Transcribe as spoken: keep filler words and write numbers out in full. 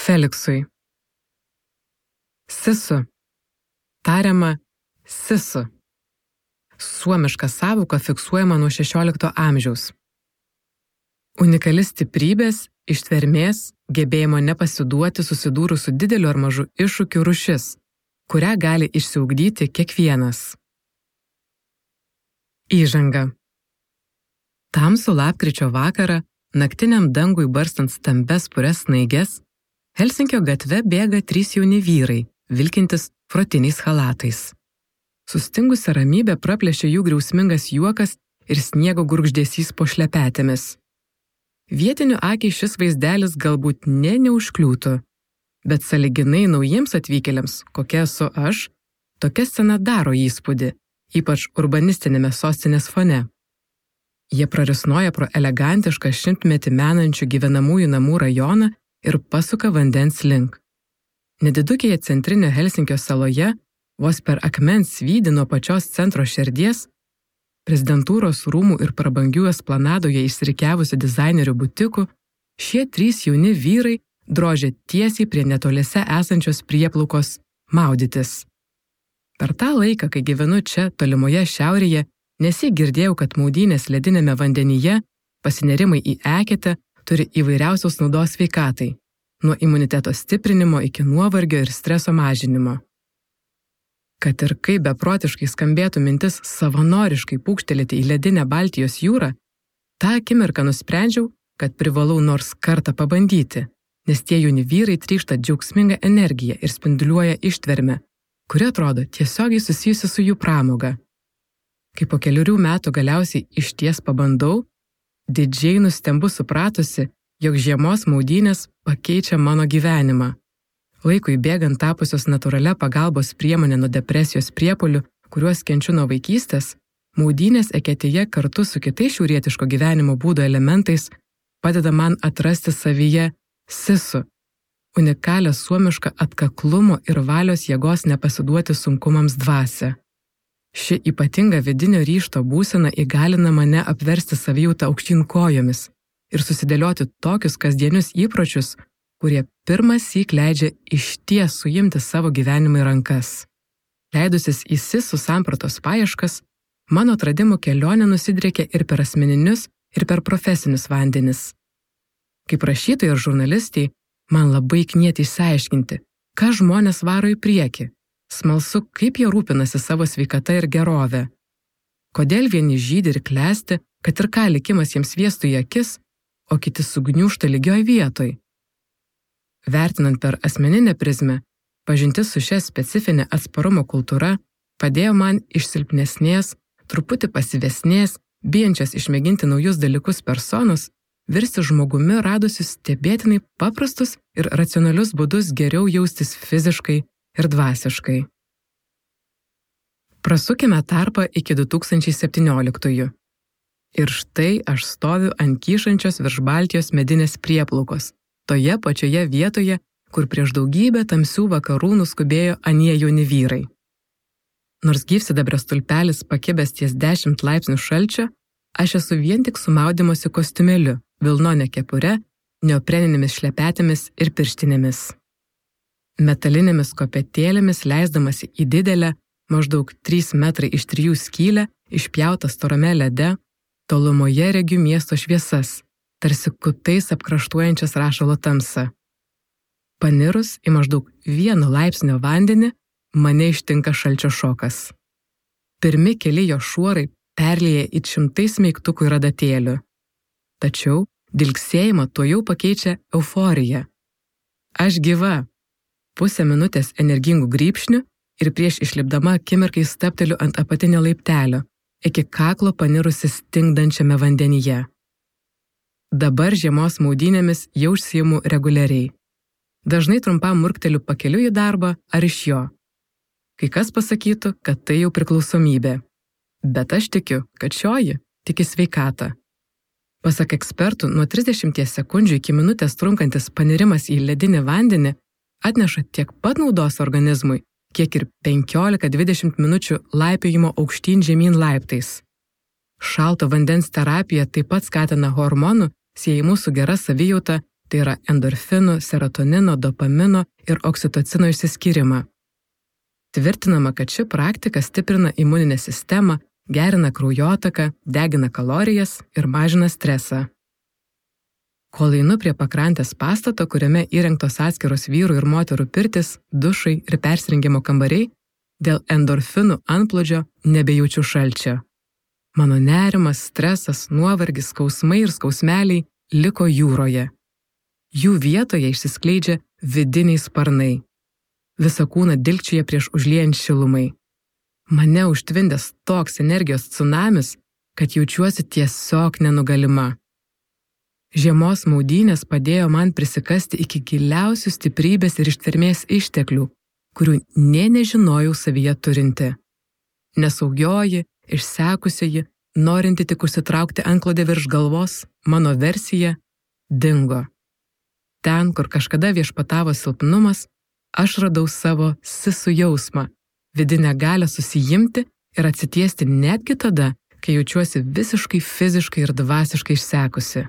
Feliksui. Sisu. Tariama sisu. Suomiška sąvoka fiksuojama nuo šešiolikto amžiaus. Unikali stiprybės, ištvermės, gebėjimo nepasiduoti susidūrus su dideliu ar mažu iššūkiu rūšis, kurią gali išsiugdyti kiekvienas. Įžanga. Tamsų lapkričio vakarą, naktiniam dangui barstant stambes purias snaiges, Helsinkio gatve bėga trys jauni vyrai, vilkintis frotiniais chalatais. Sustingusią ramybę praplėšė jų griausmingas juokas ir sniego gurgždesys po šlepetėmis. Vietinių akiai šis vaizdelis galbūt ne neužkliūtų, bet sąlyginai naujiems atvykėliams, kokia esu aš, tokia scena daro įspūdį, ypač urbanistinėme sostinės fone. Jie prarisnoja pro elegantišką šimtmetį menančių gyvenamųjų namų rajoną ir pasuka vandens link. Nedidukėje centrinio Helsinkio saloje, vos per akmens svydį nuo pačios centro šerdies, prezidentūros rūmų ir prabangių esplanadoje išsirikiavusių dizainerių butikų, šie trys jauni vyrai drožia tiesiai prie netoliese esančios prieplaukos maudytis. Per tą laiką, kai gyvenu čia, tolimoje šiaurėje, nesiek girdėjau, kad maudynės ledinėme vandenyje, pasinerimai į eketę turi įvairiausios naudos sveikatai, nuo imuniteto stiprinimo iki nuovargio ir streso mažinimo. Kad ir kaip beprotiškai skambėtų mintis savanoriškai pūkštelėti į ledinę Baltijos jūrą, tą akimirką nusprendžiau, kad privalau nors kartą pabandyti, nes tie jauni vyrai trykšta džiaugsmingą energiją ir spinduliuoja ištvermę, kuri atrodo tiesiogiai susijusi su jų pramoga. Kai po keliurių metų galiausiai išties pabandau, didžiai nustembu supratusi, jog žiemos maudynės pakeičia mano gyvenimą. Laikui bėgant tapusios natūralia pagalbos priemonė nuo depresijos priepuolių, kuriuos kenčiu nuo vaikystės, maudynės eketėje kartu su kitais šiaurietiško gyvenimo būdo elementais padeda man atrasti savyje sisu, unikalią suomišką atkaklumo ir valios jėgos nepasiduoti sunkumams dvasią. Ši ypatinga vidinio ryžto būsena įgalina mane apversti savijautą aukštyn kojomis ir susidėlioti tokius kasdienius įpročius, kurie pirmąsyk leidžia išties suimti savo gyvenimą į rankas. Leidusis į sisų sampratos paieškas, mano atradimų kelionė nusidriekia ir per asmeninius, ir per profesinius vandenis. Kaip rašytojai ir žurnalistai, man labai knieti išsiaiškinti, ką žmonės varo į priekį. Smalsu, kaip jie rūpinasi savo sveikata ir gerove. Kodėl vieni žydi ir klesti, kad ir ką likimas jiems viestų į akis, o kiti sugniūžta lygioj vietoj. Vertinant per asmeninę prizmę, pažintis su šia specifinė atsparumo kultūra padėjo man iš silpnesnės, truputį pasyvesnės, bijančios išmėginti naujus dalykus personos, virsti žmogumi radusius stebėtinai paprastus ir racionalius būdus geriau jaustis fiziškai ir dvasiškai. Prasukime tarpą iki du tūkstančiai septynioliktųjų. Ir štai aš stoviu ant kyšančios virš Baltijos medinės prieplaukos, toje pačioje vietoje, kur prieš daugybę tamsių vakarų nuskubėjo anie jauni vyrai. Nors gyvsidabrio stulpelis pakibęs ties dešimt laipsnių šalčio, aš esu vien tik su maudymosi kostiumėliu, vilnone kepure, neopreninėmis šlepetėmis ir pirštinėmis. Metalinėmis kopėtėlėmis leisdamasi į didelę, maždaug trys metrai iš trijų skylę, išpjautą storame lede, tolumoje regiu miesto šviesas, tarsi kutais apkraštuojančias rašalo tamsą. Panirus į maždaug vieno laipsnio vandenį, mane ištinka šalčio šokas. Pirmi keli jo šuorai perlieja į šimtais smeigtukų ir adatėlių. Tačiau dilgsėjimą tuojau pakeičia euforija. Aš gyva. Pusę minutės energingų grybšnių ir prieš išlipdama akimirkai stapteliu ant apatinio laiptelio, iki kaklo panirusi stingdančiame vandenyje. Dabar žiemos maudynėmis jau užsiimu reguliariai. Dažnai trumpam murkteliu pakeliu į darbą ar iš jo. Kai kas pasakytų, kad tai jau priklausomybė. Bet aš tikiu, kad šioji tik į sveikatą. Pasak ekspertų, nuo trisdešimties sekundžių iki minutės trunkantis panirimas į ledinį vandenį atneša tiek pat naudos organizmui, kiek ir penkiolika dvidešimt minučių laipiojimo aukštyn žemyn laiptais. Šalto vandens terapija taip pat skatina hormonų, siejamų su gera savijauta, tai yra endorfinų, serotonino, dopamino ir oksitocino išsiskyrimą. Tvirtinama, kad ši praktika stiprina imuninę sistemą, gerina kraujotaką, degina kalorijas ir mažina stresą. Kol einu prie pakrantės pastato, kuriame įrengtos atskiros vyrų ir moterų pirtis, dušai ir persirengimo kambariai, dėl endorfinų antplūdžio nebejaučiu šalčio. Mano nerimas, stresas, nuovargis, skausmai ir skausmeliai liko jūroje. Jų vietoje išsiskleidžia vidiniai sparnai. Visą kūną dilgčioje prieš užliejant šilumai. Mane užtvindęs toks energijos tsunamis, kad jaučiuosi tiesiog nenugalima. Žiemos maudynės padėjo man prisikasti iki giliausių stiprybės ir ištvermės išteklių, kurių nė nežinojau savyje turinti. Nesaugioji, išsekusioji, norinti tik užsitraukti antklodę virš galvos, mano versija dingo. Ten, kur kažkada viešpatavo silpnumas, aš radau savo sisu jausmą, vidinę galią susijimti ir atsitiesti netgi tada, kai jaučiuosi visiškai fiziškai ir dvasiškai išsekusi.